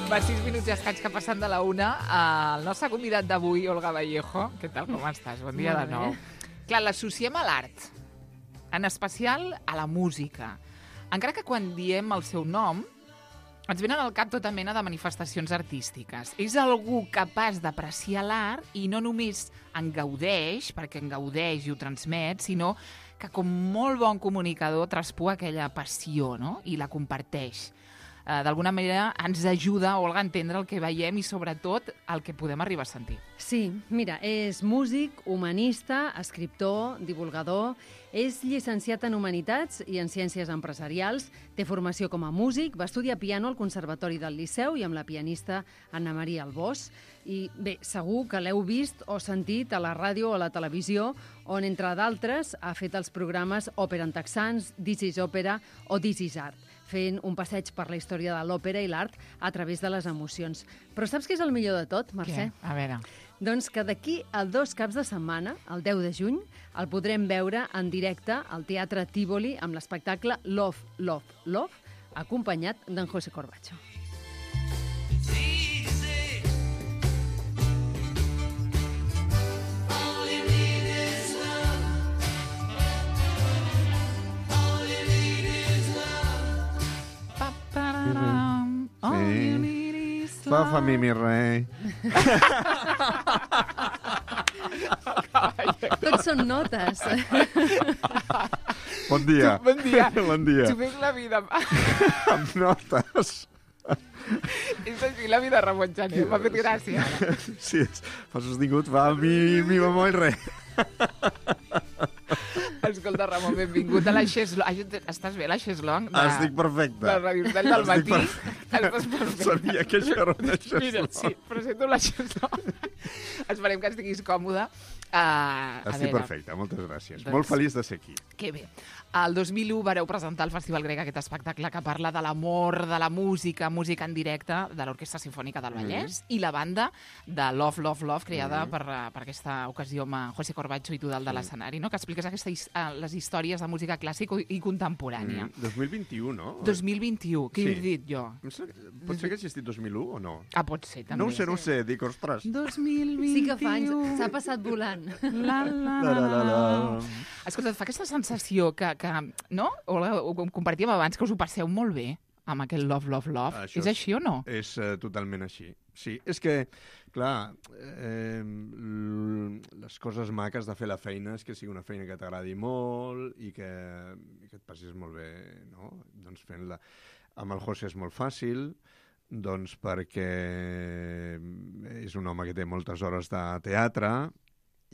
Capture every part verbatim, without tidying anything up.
Va, sis minuts i escaig que passen de la una. El nostre convidat d'avui, Olga Vallejo. Què tal, com estàs? Bon dia de nou. Clar, l'associem a l'art, en especial a la música. Encara que quan diem el seu nom, ens venen al cap tota mena de manifestacions artístiques. És algú capaç d'apreciar l'art i no només en gaudeix, perquè en gaudeix i ho transmet, sinó que com molt bon comunicador traspua aquella passió, no? I la comparteix. Uh, d'alguna manera ens ajuda, Olga, a entendre el que veiem i sobretot el que podem arribar a sentir. Sí, mira, és músic, humanista, escriptor, divulgador, és llicenciat en Humanitats i en Ciències Empresarials, té formació com a músic, va estudiar piano al Conservatori del Liceu i amb la pianista Anna Maria Albós. I bé, segur que l'heu vist o sentit a la ràdio o a la televisió, on, entre d'altres, ha fet els programes Òpera en Texans, This is Òpera o This is Art, fent un passeig per la història de l'òpera i l'art a través de les emocions. Però saps què és el millor de tot, Mercè? Què? A veure... Doncs que d'aquí a dos caps de setmana, el deu de juny, el podrem veure en directe al Teatre Tívoli amb l'espectacle Love, Love, Love, acompanyat d'en José Corbacho. Va, fa mi, mi rei. Tots són notes. Bon dia. Bon dia. Bon dia. Tu fes la vida... Amb notes. És així, la vida Ramon Jané. M'ha fet gràcia. Sí, fa sostingut. Va, mi, mi, mamó i rei. Escolta, Ramon, benvingut a la Xeslong. Estàs bé, la Xeslong? De... Estic perfecte. La Radio Hotel del matí. Perfecte. Estàs perfecte. Sabia que això era una Xeslong. Mira, sí, presento la Xeslong. Esperem que estiguis còmode. Uh, Estic perfecte, moltes gràcies. Doncs... Molt feliç de ser aquí. Que bé. El dos mil u vareu presentar al Festival Grec aquest espectacle que parla de l'amor, de la música, música en directe, de l'Orquestra Simfònica del Vallès, mm. i la banda de Love, Love, Love, creada mm. per, per aquesta ocasió amb José Corbacho i tu dalt de l'escenari, no? Que expliques aquestes, les històries de música clàssica i contemporània. Mm. dos mil vint-i-u, no? dos mil vint-i-u, què sí. he dit jo? Pot ser que hagi estat dos mil u o no? Ah, pot ser, també. No ho sé, no ho sé, dic, ostres. dos mil vint-i-u... Sí que fa anys, s'ha passat volant. La, la, la, la, la. Escolta, et fa aquesta sensació que, que no? O, ho compartíem abans, que us ho passeu molt bé amb aquest Love, Love, Love. Això és així o no? És uh, totalment així. Sí, és que, clar, eh, les coses maques de fer la feina és que sigui una feina que t'agradi molt i que, i que et passis molt bé, no? Doncs fent-la. Amb el José és molt fàcil, doncs perquè és un home que té moltes hores de teatre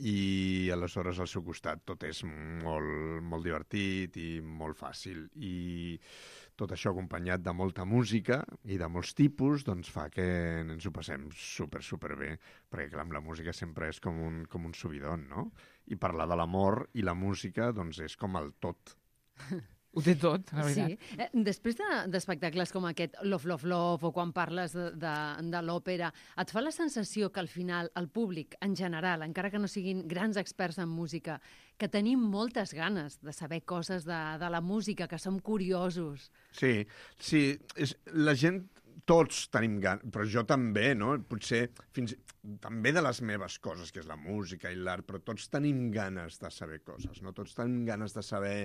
i aleshores al seu costat tot és molt, molt divertit i molt fàcil. I tot això acompanyat de molta música i de molts tipus, doncs fa que ens ho passem super, super bé, perquè clar, amb la música sempre és com un, com un subidon, no? I parlar de l'amor i la música, doncs és com el tot. Ho té tot, la veritat. Sí. Eh, després d'espectacles de, com aquest Love, Love, Love, o quan parles de, de, de l'òpera, et fa la sensació que al final el públic, en general, encara que no siguin grans experts en música, que tenim moltes ganes de saber coses de, de la música, que som curiosos. Sí, sí, és, la gent, tots tenim ganes, però jo també, no? Potser fins també de les meves coses, que és la música i l'art, però tots tenim ganes de saber coses, no? Tots tenim ganes de saber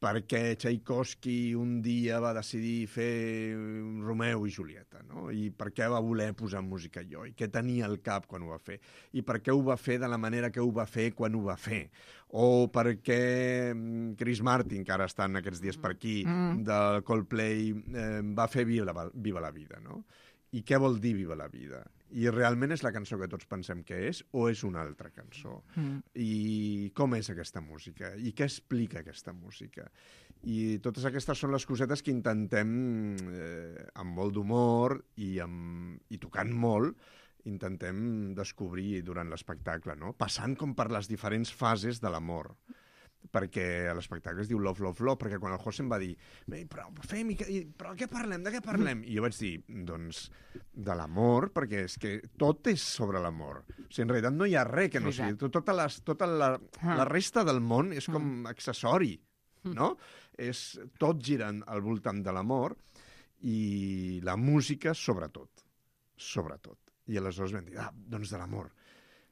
per què Tchaikovsky un dia va decidir fer Romeu i Julieta, no? I per què va voler posar música allò, i què tenia al cap quan ho va fer, i per què ho va fer de la manera que ho va fer quan ho va fer, o per què Chris Martin, que ara estan aquests dies per aquí, mm. del Coldplay, eh, va fer Viva la, Viva la vida, no? I què vol dir Viva la vida? I realment és la cançó que tots pensem que és o és una altra cançó? Mm. I com és aquesta música? I què explica aquesta música? I totes aquestes són les cosetes que intentem, eh, amb molt d'humor i, amb, i tocant molt, intentem descobrir durant l'espectacle, no? Passant com per les diferents fases de l'amor. Perquè l'espectacle es diu Love, Love, Love, perquè quan el José em va dir però fem, però què parlem, de què parlem? I jo vaig dir, doncs, de l'amor, perquè és que tot és sobre l'amor. O sigui, en realitat no hi ha res que no sigui. Tota, les, tota la, la resta del món és com accessori, no? És, tot gira al voltant de l'amor i la música, sobretot. Sobretot. I aleshores vam dir, ah, doncs de l'amor.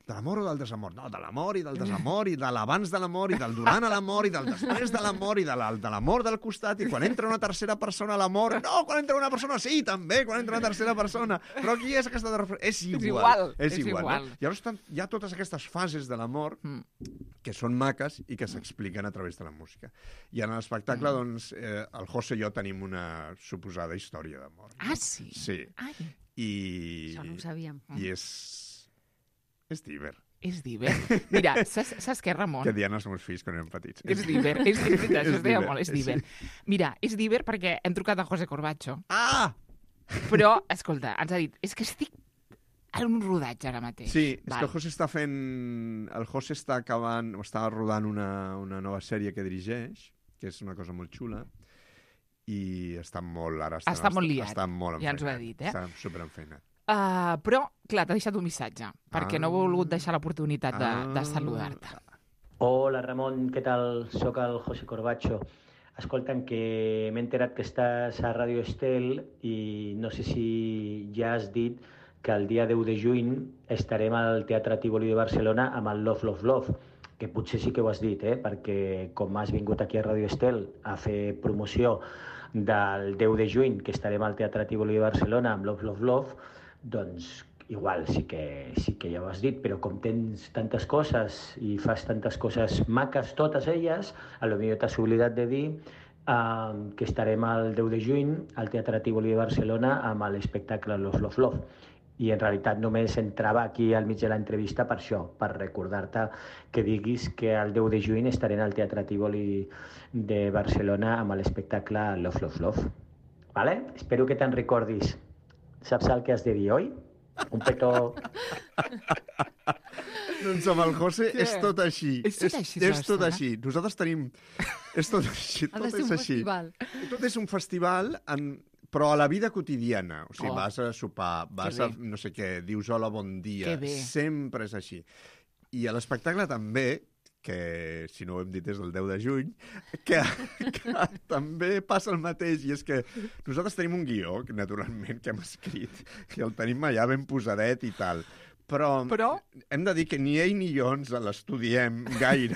De l'amor o del desamor? No, de l'amor i del desamor, i de l'abans de l'amor, i del durant a l'amor, i del després de l'amor, i de l'amor del costat, i quan entra una tercera persona a l'amor... No, quan entra una persona, sí, també, quan entra una tercera persona. Però qui és aquesta... És igual. És igual. És igual, igual. No? Llavors hi ha totes aquestes fases de l'amor que són maques i que s'expliquen a través de la música. I en l'espectacle, doncs, eh, el José i jo tenim una suposada història d'amor. Ah, sí? Sí. Ai. I... Això no ho sabíem. I és... És diver. És diver. Mira, saps, saps què, Ramon? Que diuen els meus fills quan eren petits. És diver, és, és veritat, això es deia molt, és diver. Sí. Mira, és diver perquè hem trucat a José Corbacho. Ah! Però, escolta, ens ha dit, és que estic en un rodatge ara mateix. Sí, és Val. que el José està fent... El José està acabant, està rodant una, una nova sèrie que dirigeix, que és una cosa molt xula, i està molt... Ara està, està molt liat, està molt ja ens ho ha enfeinat. dit, eh? Està superenfeinat. Uh, però, clar, t'ha deixat un missatge, perquè Ah. no ha volgut deixar l'oportunitat de, Ah. de saludar-te. Hola, Ramon, què tal? Soc el José Corbacho. Escolta'm, que m'he enterat que estàs a Ràdio Estel i no sé si ja has dit que el dia deu de juny estarem al Teatre Tívoli de Barcelona amb el Love, Love, Love, que potser sí que ho has dit, eh? Perquè com has vingut aquí a Ràdio Estel a fer promoció del deu de juny, que estarem al Teatre Tívoli de Barcelona amb Love, Love, Love, doncs igual sí que, sí que ja ho has dit, però com tens tantes coses i fas tantes coses maques, totes elles, a lo millor t'has oblidat de dir eh, que estarem el deu de juny al Teatre Tívoli de Barcelona amb l'espectacle Love, Love, Love. I en realitat només entrava aquí al mig de l'entrevista per això, per recordar-te que diguis que el deu de juny estarem al Teatre Tívoli de Barcelona amb l'espectacle Love, Love, Love. Vale? Espero que te'n recordis. Saps el que has de dir, oi? Un petó... Doncs amb el José Què? és tot així. És tot així, És, és tot Sebastià? així. Nosaltres tenim... És tot així, Ha de tot ser és un així. festival. Tot és un festival, en... però a la vida quotidiana. O sigui, Oh. vas a sopar, vas Que a bé. no sé què, dius hola, bon dia. Que bé. Sempre és així. I a l'espectacle també, que si no ho hem dit és el deu de juny, que, que també passa el mateix, i és que nosaltres tenim un guió, que, naturalment, que hem escrit, i el tenim allà ben posadet i tal, però, Però? hem de dir que ni ell ni jo ens l'estudiem gaire.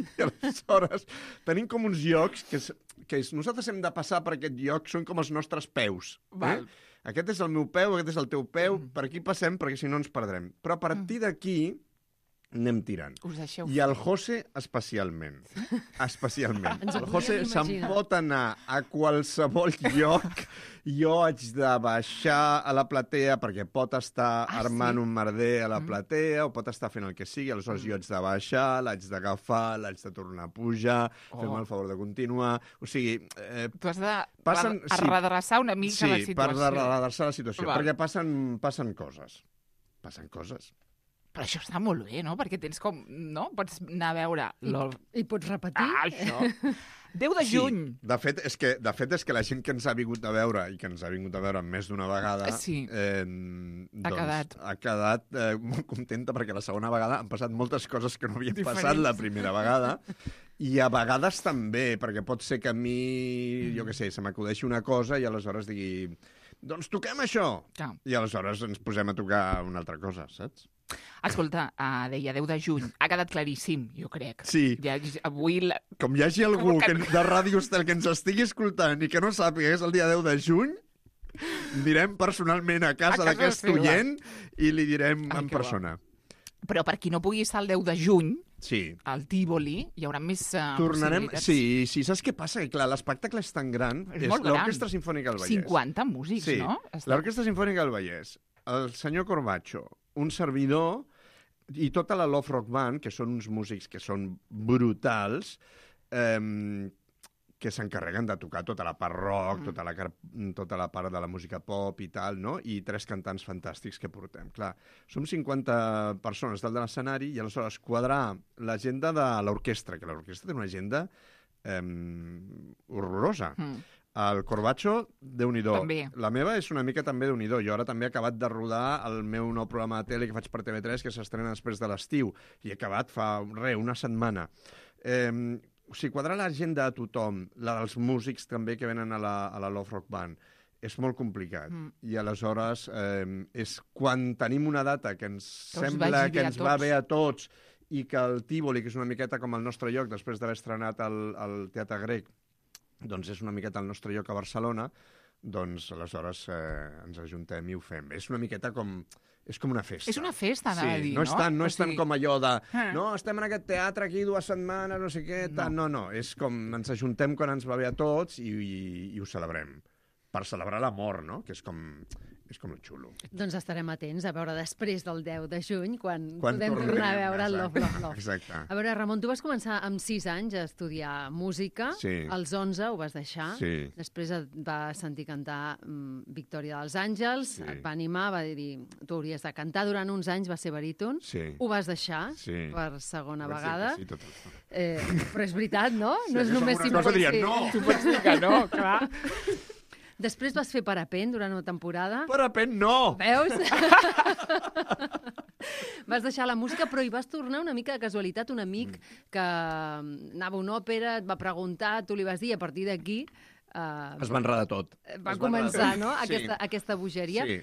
I aleshores tenim com uns llocs que, és, que és, nosaltres hem de passar per aquest lloc, són com els nostres peus. Val. Eh? Aquest és el meu peu, aquest és el teu peu, mm. per aquí passem perquè si no ens perdrem. Però a partir d'aquí anem tirant. Us deixeu I el José especialment. Especialment. Ens ho El José podríem se'n imaginar. pot anar a qualsevol lloc. Jo haig de baixar a la platea perquè pot estar Ah, armant sí? un merder a la platea o pot estar fent el que sigui. Aleshores jo haig de baixar, l'haig d'agafar, l'haig de tornar a pujar, Oh. fer-me el favor de continuar. O sigui, eh, Tu has de Passen- re- sí. redreçar una mica la sí, per situació. redreçar la situació. Val. Perquè passen, passen coses. Passen coses. Però això està molt bé, no? Perquè tens com... No? Pots anar a veure... L'ol... I pots repetir? Ah, això! deu de juny! Sí, de fet, és que, de fet, és que la gent que ens ha vingut a veure i que ens ha vingut a veure més d'una vegada Sí. eh, Ha doncs, quedat. ha quedat eh, molt contenta perquè la segona vegada han passat moltes coses que no havien Diferents. passat la primera vegada i a vegades també, perquè pot ser que a mi, jo què sé, se m'acudeixi una cosa i aleshores digui doncs toquem això! Clar. I aleshores ens posem a tocar una altra cosa, saps? Escolta, uh, deia deu de juny. Ha quedat claríssim, jo crec. Sí. Ja, avui... La... Com hi hagi algú Com que- que... de Ràdio Estel que ens estigui escoltant i que no sàpiga que és el dia deu de juny, anirem personalment a casa, A casa d'aquest seva. oient i li direm Ai, en que bo. persona. Però per qui no pugui estar el deu de juny, Sí. al Tívoli, hi haurà més uh, Tornarem... possibilitats. Sí, sí, saps què passa? Que clar, l'espectacle és tan gran. És molt gran. l'Orquestra Simfònica del Vallès. cinquanta músics, Sí, no? Està... l'Orquestra Simfònica del Vallès, el senyor Corbacho, un servidor i tota la Love Rock Band, que són uns músics que són brutals, eh, que s'encarreguen de tocar tota la part rock, mm. tota, la, car- tota la part de la música pop i tal, no? I tres cantants fantàstics que portem. Clar, som cinquanta persones dalt de l'escenari i aleshores quadrar l'agenda de l'orquestra, que l'orquestra té una agenda eh, horrorosa. Mm. El Corbacho, Déu-n'hi-do. També. La meva és una mica també Déu-n'hi-do. Jo ara també he acabat de rodar el meu nou programa de tele que faig per T V tres, que s'estrena després de l'estiu, i he acabat fa, re, una setmana. Eh, o sigui, quadrar l'agenda a tothom, la dels músics també que venen a la, a la Love Rock Band, és molt complicat. Mm. I aleshores eh, és quan tenim una data que ens que sembla que ens va bé a tots i que el Tívoli, que és una miqueta com el nostre lloc, després d'haver estrenat el, el Teatre Grec, doncs és una miqueta el nostre lloc a Barcelona, doncs aleshores eh, ens ajuntem i ho fem. És una miqueta com... És com una festa. És una festa, anava sí, a dir, no? És tant, no o és tant sigui... com allò de... Ah. No, estem en aquest teatre aquí dues setmanes, no sé què... Tant. No, no, és com ens ajuntem quan ens va bé a tots i, i, i ho celebrem. Per celebrar l'amor, no? Que és com... és com el xulo. Doncs estarem atents a veure després del deu de juny, quan, quan podem tornem, tornar a veure el Love, Love, Love. Exacte. A veure, Ramon, tu vas començar amb sis anys a estudiar música, sí. als onze ho vas deixar, sí. després et va sentir cantar um, Victòria dels Àngels, sí. et va animar, va dir, tu hauries de cantar durant uns anys, va ser baríton, sí. ho vas deixar sí. per segona vas vegada, sí, tot el... eh, però és veritat, no? Sí, no és només si pots dir, no. Tu pots dir que no, clar. Després vas fer parapent durant una temporada. Parapent no! Veus? Vas deixar la música, però hi vas tornar una mica de casualitat. Un amic mm. que anava a una òpera, et va preguntar, tu li vas dir, a partir d'aquí... Uh, es va enredar tot. Va es començar, va no?, sí. aquesta, aquesta bogeria. Sí.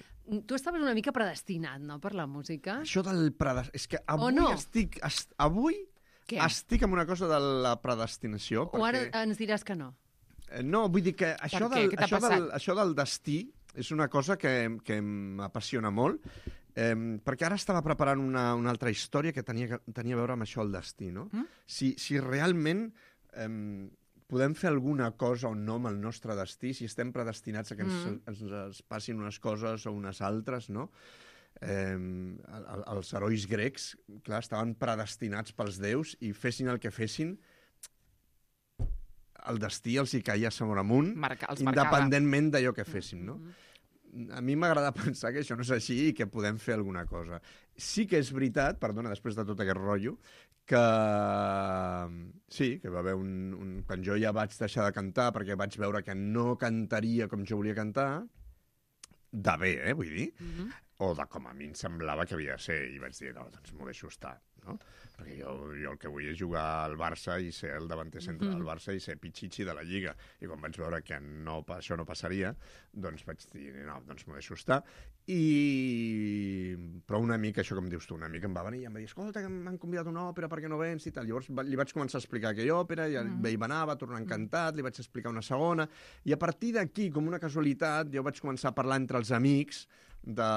Tu estaves una mica predestinat, no?, per la música. Això del predestinat... És que avui no? estic... Est... Avui Què? estic amb una cosa de la predestinació. O perquè... ara ens diràs que no. No, vull dir que això, del, això, del, això del destí és una cosa que, que m'apassiona molt, eh, perquè ara estava preparant una, una altra història que tenia, tenia a veure amb això, el destí, no? Mm? Si, si realment eh, podem fer alguna cosa o no amb el nostre destí, si estem predestinats a que ens, mm. ens, ens passin unes coses o unes altres, no? Eh, els herois grecs, clar, estaven predestinats pels déus i fessin el que fessin, el destí els hi caia sobre amunt, Marca, independentment d'allò que féssim, no? Mm-hmm. A mi m'agrada pensar que això no és així i que podem fer alguna cosa. Sí que és veritat, perdona, després de tot aquest rotllo, que sí, que va haver un, un... Quan jo ja vaig deixar de cantar, perquè vaig veure que no cantaria com jo volia cantar, de bé, eh, vull dir, mm-hmm. o de com a mi em semblava que havia de ser, i vaig dir, no, doncs m'ho deixo estar, no? Perquè jo, jo el que vull és jugar al Barça i ser el davanter central mm. del Barça i ser pitxitxi de la Lliga. I quan vaig veure que no, això no passaria, doncs vaig dir, no, doncs m'ho deixo estar. I... Però una mica, això com dius tu, una mica em va venir i em va dir, escolta, que m'han convidat a una òpera, per què no vens i tal. Llavors li vaig començar a explicar aquella òpera, i mm. ell va anar, va tornar encantat, li vaig explicar una segona, i a partir d'aquí, com una casualitat, jo vaig començar a parlar entre els amics de,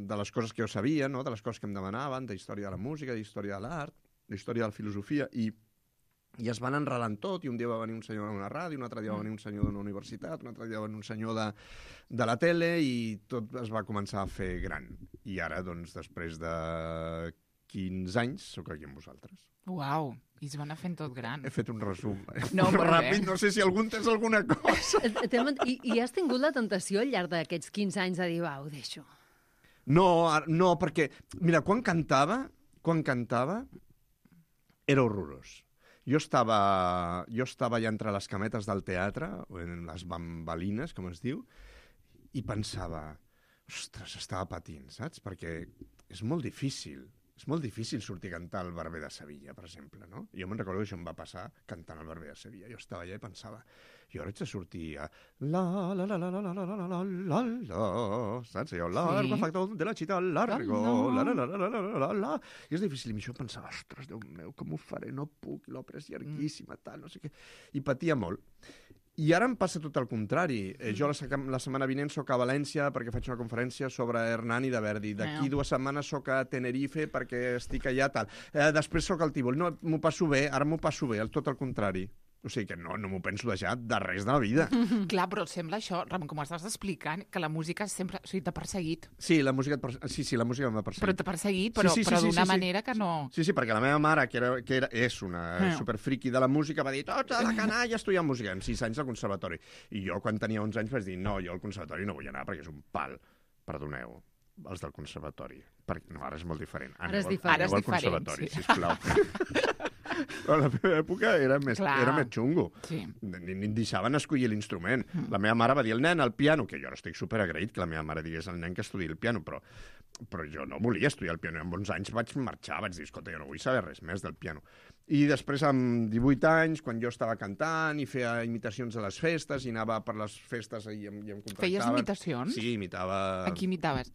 de les coses que jo sabia, no? De les coses que em demanaven, de història de la música, d'història de l'art, d'història de la filosofia, i, i es van enredant tot, i un dia va venir un senyor d'una ràdio, un altre dia va venir un senyor d'una universitat, un altre dia va venir un senyor de, de la tele, i tot es va començar a fer gran. I ara, doncs, després de quinze anys, sóc aquí amb vosaltres. Uau, i es va anar fent tot gran. He fet un resum. Eh? No, ràpid, no sé si algú entès alguna cosa. I, I has tingut la tentació al llarg d'aquests quinze anys de dir, va, ho deixo? No, no, perquè, mira, quan cantava, quan cantava, era horrorós. Jo estava, jo estava ja entre les cametes del teatre, en les bambalines, com es diu, i pensava, ostres, estava patint, saps? Perquè és molt difícil. És molt difícil sortir a cantar al Barber de Sevilla, per exemple, no? Jo me'n recordo que això em va passar cantant al Barber de Sevilla. Jo estava allà i pensava, jo ara haig de sortir a la la la la la la la la la la la, saps? Allò, largo factor de la città largo, la la la la la la la la. I és difícil, i això pensava, ostres, Déu meu, com ho faré? No puc, l'òpera és llarguíssima, tal, no sé què. I patia molt. I ara em passa tot el contrari. Eh, jo la, la setmana vinent soc a València perquè faig una conferència sobre Hernani de Verdi. D'aquí dues setmanes soc a Tenerife perquè estic allà, tal. Eh, després soc al Tívoli. No, m'ho passo bé, ara m'ho passo bé, tot el contrari. O sigui que no, no m'ho penso deixar de res de la vida. Clar, però sembla això, Ramon, com estàs explicant, que la música sempre... O sigui, t'ha perseguit. Sí, la música, sí, sí, la música m'ha perseguit. Però t'ha perseguit, però, sí, sí, però sí, d'una sí, sí, manera que no... Sí, sí, perquè la meva mare, que, era, que era, és una ah. superfriqui de la música, va dir, tots a la canalla a estudiar música, amb sis anys al conservatori. I jo, quan tenia onze anys, vaig dir, no, jo al conservatori no vull anar perquè és un pal. Perdoneu, els del conservatori. Perquè, no, ara és molt diferent. Ara és diferent. Aneu al conservatori, sí. Sisplau. Però a la meva època era més, era més xungo. Sí. Ni, ni deixaven escollir l'instrument. Mm. La meva mare va dir al nen al piano, que jo ara estic superagraït que la meva mare digués al nen que estudi el piano, però, però jo no volia estudiar el piano. I amb onze anys vaig marxar, vaig dir, escolta, jo no vull saber res més del piano. I després, amb divuit anys, quan jo estava cantant i feia imitacions a les festes, i anava per les festes i em, i em contractaven... Feies imitacions? Sí, imitava... A qui imitaves?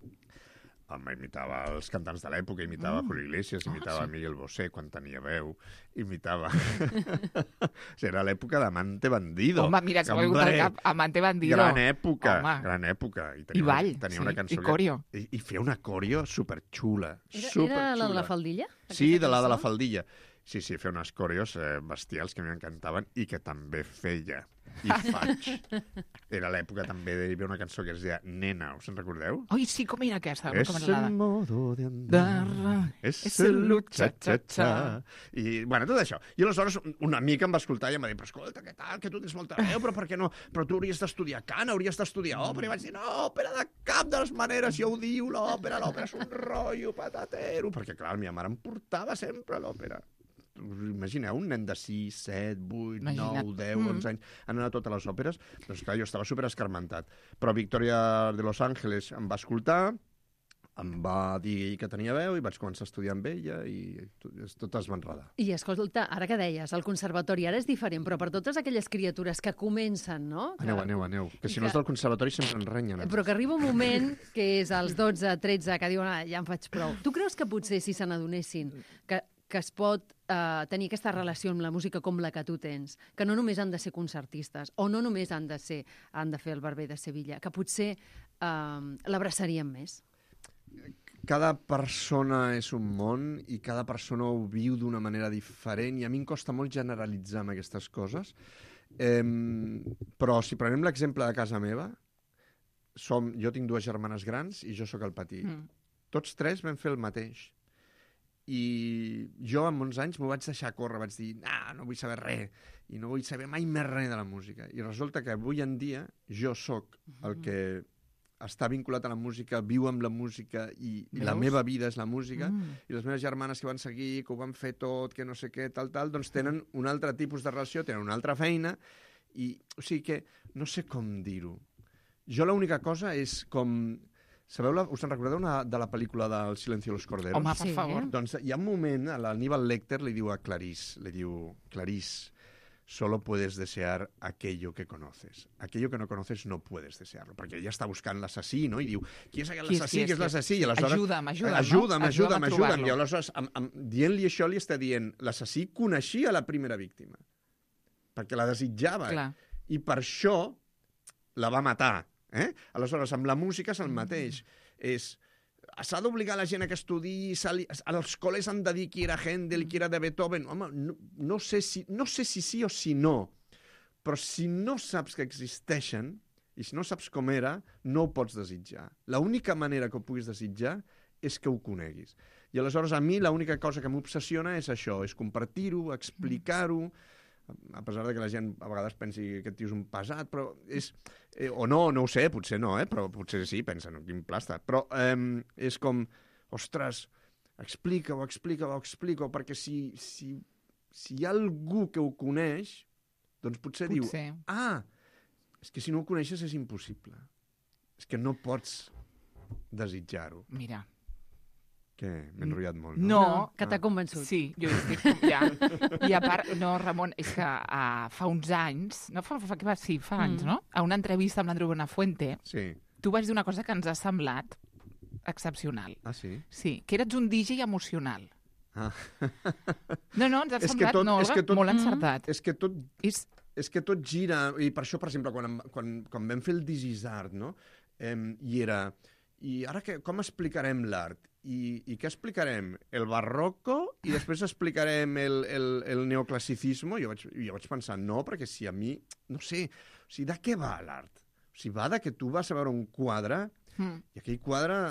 Home, imitava els cantants de l'època, imitava mm. Julio Iglesias, imitava oh, sí. Miguel Bosé quan tenia veu, imitava... Era l'època d'Amante Bandido. Home, mira, que m'ha vingut al cap, Amante Bandido. Gran època, Home. gran època. I, I ball, tenia sí, una cançó i corio. Que, i, I feia una corio superxula. Era, superxula. era la de la faldilla? Sí, de la de la faldilla. Sí, sí, feia unes corios eh, bestials que m'encantaven i que també feia. I faig. Era l'època també de hi havia una cançó que es deia Nena, us en recordeu? Ai, sí, com era aquesta? Es el modo de andar, es el cha-cha-cha. I, bueno, tot això. I aleshores un amic em va escoltar i em va dir, però escolta, què tal, que tu tens molta veu, però per què no? Però tu hauries d'estudiar cant, hauries d'estudiar òpera. I vaig dir, no, òpera de cap de les maneres, ja ho diu l'òpera, l'òpera és un rotllo patatero. Perquè, clar, la meva mare em portava sempre a l'òpera. Imagineu, un nen de sis, set, vuit, nou, deu, onze anys, anant a totes les òperes, doncs clar, jo estava super escarmentat. Però Victoria de Los Ángeles em va escoltar, em va dir que tenia veu i vaig començar a estudiar amb ella i tot es va enredar. I escolta, ara que deies, el conservatori ara és diferent, però per totes aquelles criatures que comencen, no? Que... Aneu, aneu, aneu, que si no és del conservatori sempre ens renyen. Però que arriba un moment que és als dotze, tretze, que diuen, ah, ja em faig prou. Tu creus que potser si se n'adonessin que que es pot eh, tenir aquesta relació amb la música com la que tu tens, que no només han de ser concertistes, o no només han de ser han de fer el Barber de Sevilla, que potser eh, l'abraçarien més? Cada persona és un món i cada persona ho viu d'una manera diferent i a mi em costa molt generalitzar amb aquestes coses. Eh, però si prenem l'exemple de casa meva, som, jo tinc dues germanes grans i jo sóc el petit. Mm. Tots tres vam fer el mateix. I jo, amb onze anys, m'ho vaig deixar córrer, vaig dir, ah, no vull saber res, i no vull saber mai més res de la música. I resulta que avui en dia jo sóc el que està vinculat a la música, viu amb la música, i, i la meva vida és la música, mm. i les meves germanes que van seguir, que ho van fer tot, que no sé què, tal, tal, doncs tenen un altre tipus de relació, tenen una altra feina, i, o sigui que, no sé com dir-ho. Jo l'única cosa és com... Sabeu, la, us en recordeu una, de la pel·lícula del Silencio de los Corderos? Home, per favor. Sí. Doncs hi ha un moment, l'Aníbal Lecter li diu a Clarice, li diu, Clarice, solo puedes desear aquello que conoces. Aquello que no conoces no puedes desearlo. Perquè ella està buscant l'assassí, no? I diu, qui és aquell assassí, qui és l'assassí? Ajuda'm, ajuda'm, ajuda'm, no? Ajuda'm, ajuda'm. I aleshores, amb, amb, dient-li això, li està dient, l'assassí coneixia la primera víctima. Perquè la desitjava. Clar. I per això la va matar. Eh? Aleshores, amb la música és el mateix. És, s'ha d'obligar la gent a que estudi, als col·les han de dir qui era Händel i qui era de Beethoven. Home, no, no, sé si, no sé si sí o si no, però si no saps que existeixen i si no saps com era, no ho pots desitjar. L'única manera que ho puguis desitjar és que ho coneguis. I aleshores a mi l'única cosa que m'obsessiona és això, és compartir-ho, explicar-ho, a pesar de que la gent a vegades pensi que aquest tio és un pesat, però és... Eh, o no, no ho sé, potser no, eh? Però potser sí, pensen, quin plasta. Però eh, és com, ostres, explica-ho, explica-ho, explica-ho, perquè si, si, si hi ha algú que ho coneix, doncs potser, potser diu, ah, és que si no ho coneixes és impossible. És que no pots desitjar-ho. Mira. Què? M'he enrotllat molt, no? No. no que t'ha convençut. Sí, jo estic ja. I a part, no, Ramon, és que uh, fa uns anys, no fa, fa, fa sí, fa anys, mm. no? A una entrevista amb l'Andreu Buenafuente, sí. Tu vas dir una cosa que ens ha semblat excepcional. Ah, sí? Sí, que eres un D J emocional. Ah. No, no, ens ha és semblat tot, no, és que tot, molt encertat. És que tot... És... És que tot gira, i per això, per exemple, quan, quan, quan vam fer el This is Art, no? Eh, i era... I ara que, com explicarem l'art? I, I què explicarem? El barroco? I després explicarem el, el, el neoclassicisme? Jo vaig, jo vaig pensar, no, perquè si a mi... No sé, o sigui, de què va l'art? O sigui, va de que tu vas a veure un quadre mm. i aquell quadre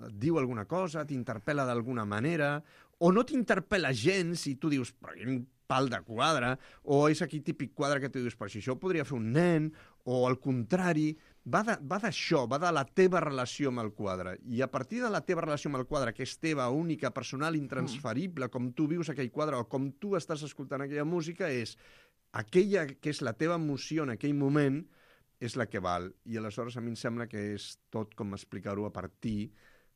et diu alguna cosa, t'interpel·la d'alguna manera, o no t'interpel·la gens i tu dius, però quin pal de quadre, o és aquí típic quadre que tu dius, però si això ho podria fer un nen, o al contrari, va d'això, va, va de la teva relació amb el quadre, i a partir de la teva relació amb el quadre, que és teva, única, personal, intransferible, mm. com tu vius aquell quadre, o com tu estàs escoltant aquella música, és aquella que és la teva emoció en aquell moment, és la que val, i aleshores a mi em sembla que és tot com explicar-ho a partir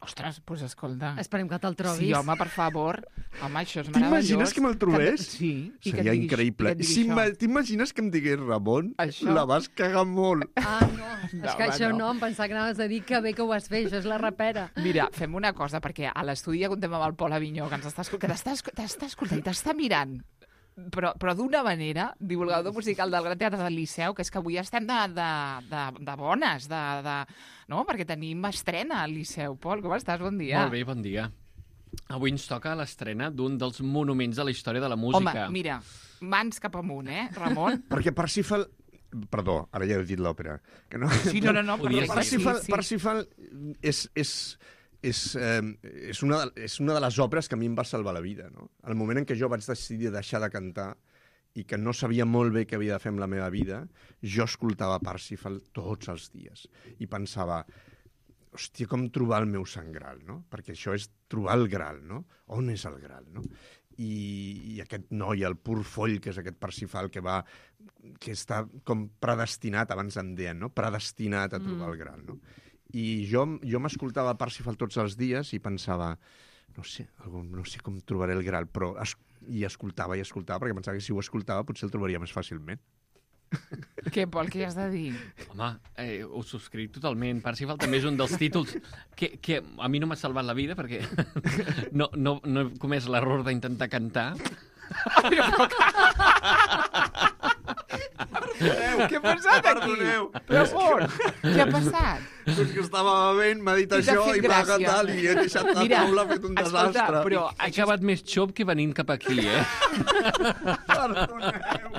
Ostres, doncs pues escolta... Esperem que te'l trobis. Sí, home, per favor. Home, això és meravellós. T'imagines que me'l trobés? Que... Sí. I Seria que diguis, increïble. que Si t'imagines que em digués, Ramon, això... la vas cagar molt. Ah, no. no és que home, això no. no. Em pensava que anaves a dir que bé que ho vas fer. Això és la rapera. Mira, fem una cosa, perquè a l'estudi ja contem amb el Pol Avinyó, que ens està, escol... que t'està, t'està escoltant i t'està mirant, però, però d'una manera, divulgador musical del Gran Teatre del Liceu, que és que avui estem de, de, de, de bones, de, de, no? Perquè tenim estrena al Liceu. Pol, com estàs? Bon dia. Molt bé, bon dia. Avui ens toca l'estrena d'un dels monuments de la història de la música. Home, mira, mans cap amunt, eh, Ramon? Perquè Parsifal... Perdó, ara ja he dit l'òpera. Que no... Sí, no, no, no, Podies perfecte, sí, Parsifal, sí. Parsifal és, és, és, eh, és, una de, és una de les òperes que a mi em va salvar la vida. No? El moment en què jo vaig decidir deixar de cantar i que no sabia molt bé què havia de fer amb la meva vida, jo escoltava Parsifal tots els dies i pensava, hòstia, com trobar el meu sant Graal, no? Perquè això és trobar el Graal, no? On és el Graal, no? I, i aquest noi, el pur foll, que és aquest Parsifal que va, que està com predestinat, abans en deien, no? Predestinat a trobar mm. el Graal, no? I jo, jo m'escoltava Parsifal tots els dies i pensava, no sé, algun, no sé com trobaré el Graal, però es, i escoltava i escoltava, perquè pensava que si ho escoltava potser el trobaria més fàcilment. Què, Pol, què has de dir? Home, eh, ho subscric totalment. Parsifal també és un dels títols que, que a mi no m'ha salvat la vida perquè no, no, no he comès l'error d'intentar cantar. Perdoneu, Què ha passat aquí? Perdoneu. Ramon, què ha passat? Doncs que estava bevent, m'ha dit I t'ha això fet i m'ha gràcia. cantat i he deixat la Mira, taula fet un escolta, desastre. però He això... acabat més xop que venint cap aquí, eh? Perdoneu.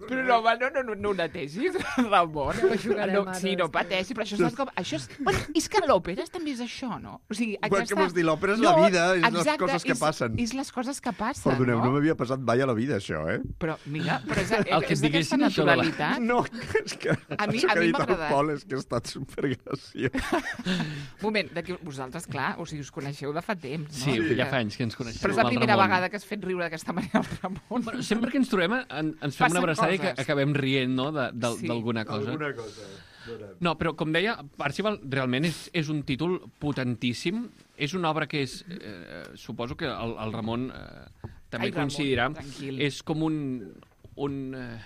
Però no, home, no, no, no, no ho netegis, Ramon. Ho jugarem no, ara, sí, no després. pateixi, però això és com... Això és... Bueno, és que l'òpera també és això, no? O sigui, Bueno, què vols dir? L'òpera és la vida, és les coses que és, passen. És les coses que passen, Perdoneu, no no? m'havia passat mai a la vida, això, eh? Però, mira, però és, El que és et d'aquesta diguessin això de la- naturalitat. No, és que A mi- això a que ha mi dit m'ha el agradat. Pol és que ha estat supergraciós. Moment, d'aquí vosaltres, clar, o sigui, us coneixeu de fa temps, no? Sí, ja fa anys que ens coneixem. Però és la amb el primera Ramon. vegada que has fet riure d'aquesta manera el Ramon. Bueno, sempre que ens trobem en, ens fem Passen una abraçada i que coses. acabem rient, no?, de- de- Sí. d'alguna cosa. Alguna cosa. No, però com deia, Parsifal realment és, és un títol potentíssim. És una obra que és, eh, suposo que el, el Ramon eh, també Ai, Ramon, coincidirà, tranquil. és com un, un, eh,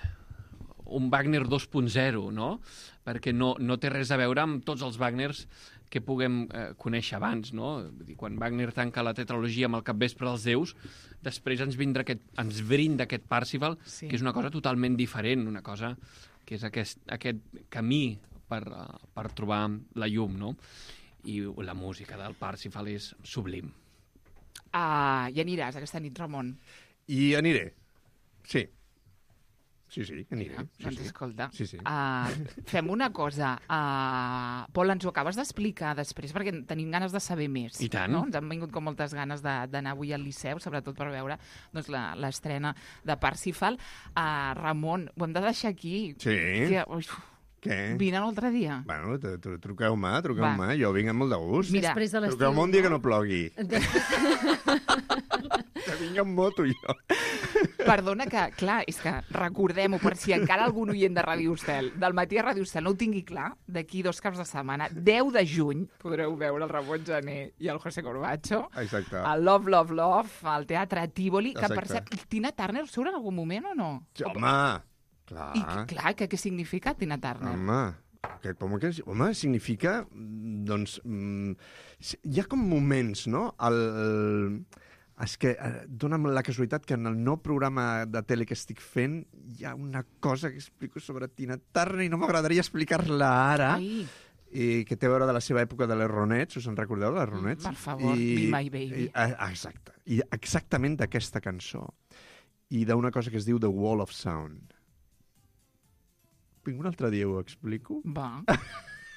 un Wagner dos punt zero, no? Perquè no, no té res a veure amb tots els Wagners que puguem eh, conèixer abans, no? Vull dir, quan Wagner tanca la tetralogia amb el capvespre dels déus, després ens, vindrà aquest, ens brinda aquest Parsifal, Sí. que és una cosa totalment diferent, una cosa que és aquest, aquest camí per, uh, per trobar la llum, no? I la música del Parsifal és sublim. Ah, i aniràs aquesta nit, Ramon. I aniré. Sí. Sí, sí, aniré. Ah, Sí, doncs sí. escolta, Sí, sí. Uh, fem una cosa. Uh, Pol, ens ho acabes d'explicar després, perquè tenim ganes de saber més. I tant. No? Ens han vingut com moltes ganes de- d'anar avui al Liceu, sobretot per veure doncs, la- l'estrena de Parsifal. Uh, Ramon, ho hem de deixar aquí. Sí. Que, ui, Què? vine un altre dia. Bueno, tru- tru- truqueu-me, truqueu-me. Va. Jo vinc amb molt de gust. Mira, Després de l'estiu... Truqueu-me un dia que no plogui. Després... Que vinc amb moto, jo. Perdona que, clar, és que recordem-ho, per si encara algun oient de Ràdio Estel, del matí a Ràdio Estel no ho tingui clar, d'aquí dos caps de setmana, deu de juny, podreu veure el Ramon Gené i el José Corbacho, Exacte. al Love, Love, Love, al Teatre Tívoli, que per Exacte. cert, Tina Turner surt en algun moment o no? Sí, home, clar. I, clar, que, què significa Tina Turner? Home, aquest, home, que, home, significa, mm, doncs, mm, si- hi ha com moments, no? El, el, és que eh, dona la casualitat que en el nou programa de tele que estic fent hi ha una cosa que explico sobre Tina Turner i no m'agradaria explicar-la ara. Ai, I que té a veure de la seva època de les Ronettes, us en recordeu, de les Ronettes? per favor, Be My Baby. I, ah, exacte. I exactament d'aquesta cançó. I d'una cosa que es diu The Wall of Sound. Vinc un altre dia ho explico. va.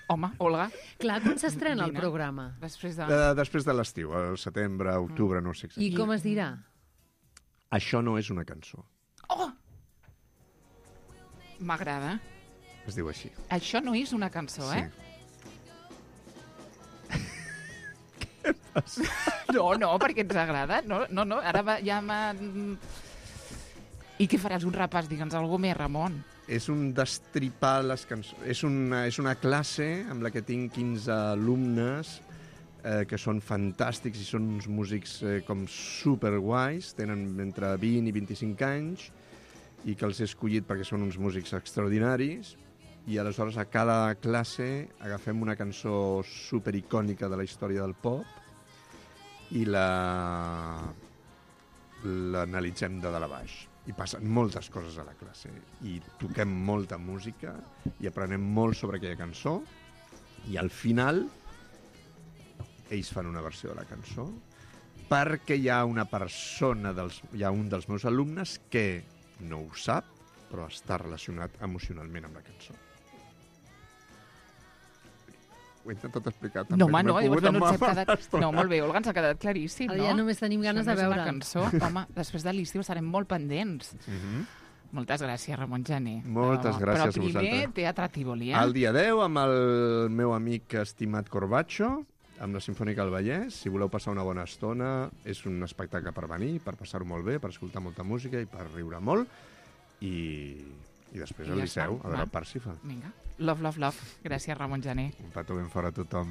Home, Olga, Clar, quan s'estrena el Vine. programa? després de... De, després de l'estiu, al setembre, octubre, no sé I exactament. com es dirà? Això no és una cançó. Oh! M'agrada. Es diu així. Això no és una cançó, eh? No, no, perquè ens agrada. No, no, no, ara va, ja m'ha... I què faràs? Un repàs? Digue'ns alguna més, Ramon. És un destripar les cançons. És una, és una classe amb la que tinc quinze alumnes eh, que són fantàstics i són uns músics eh, com superguais, tenen entre vint i vint-i-cinc anys, i que els he escollit perquè són uns músics extraordinaris, i aleshores a cada classe agafem una cançó supericònica de la història del pop i la l'analitzem de dalt a baix. I passen moltes coses a la classe, i toquem molta música, i aprenem molt sobre aquella cançó, i al final ells fan una versió de la cançó, perquè hi ha una persona, dels, hi ha un dels meus alumnes que no ho sap, però està relacionat emocionalment amb la cançó. Ho he intentat explicar també. No, home, no, m'he llavors, pogut no, ens ha amagar quedat... no, molt bé, Olga, ens ha quedat claríssim, Ara no? ja només tenim ganes Això de no és veure. una cançó. Home, després de l'estiu estarem molt pendents. Mhm. Moltes gràcies, Ramon Gené. Moltes Però- gràcies a Però primer, vosaltres. Teatre Tívoli, eh? El dia deu, amb el meu amic estimat Corbacho, amb la Simfònica del Vallès. Si voleu passar una bona estona, és un espectacle per venir, per passar-ho molt bé, per escoltar molta música i per riure molt. I, i després I al ja Liceu, està, a veure va. el Parsifal. Vinga. Love, love, love. Gràcies, Ramon Gené. Un petó ben fort a tothom.